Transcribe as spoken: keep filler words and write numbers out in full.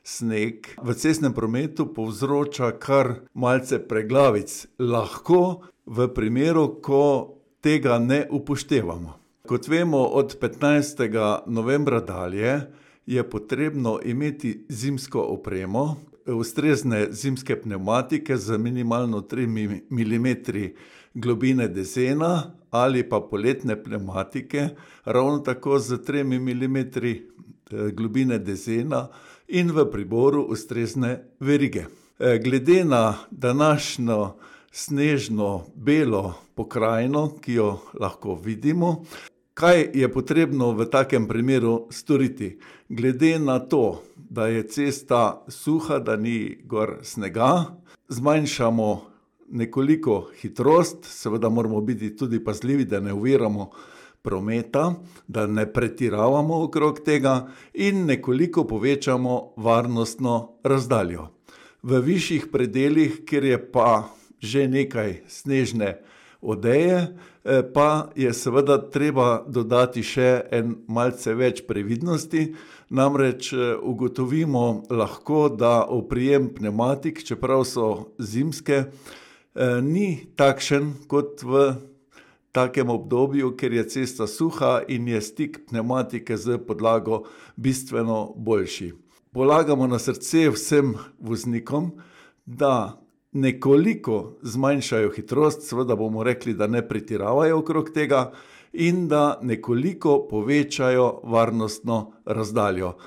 sneg v cestnem prometu povzroča kar malce preglavic. Lahko v primeru, ko tega ne upoštevamo. Kot vemo, od petnajstega novembra dalje je potrebno imeti zimsko opremo, ustrezne zimske pnevmatike z minimalno tremi milimetri globine dezena ali pa poletne pnevmatike, ravno tako z tremi milimetri globine dezena in v priboru ustrezne verige. Glede na današnjo snežno belo pokrajino, ki jo lahko vidimo, kaj je potrebno v takem primeru storiti? Glede na to, da je cesta suha, da ni gor snega, zmanjšamo nekoliko hitrost, seveda moramo biti tudi pazljivi, da ne oviramo prometa, da ne pretiravamo okrog tega in nekoliko povečamo varnostno razdaljo. V višjih predelih, kjer je pa že nekaj snežne odeje, pa je seveda treba dodati še en malce več previdnosti, namreč ugotovimo lahko, da oprijem pnevmatik, čeprav so zimske, ni takšen kot v takem obdobju, ker je cesta suha in je stik pnevmatike z podlago bistveno boljši. Polagamo na srce vsem voznikom, da nekoliko zmanjšajo hitrost, seveda bomo rekli, da ne pretiravajo okrog tega in da nekoliko povečajo varnostno razdaljo.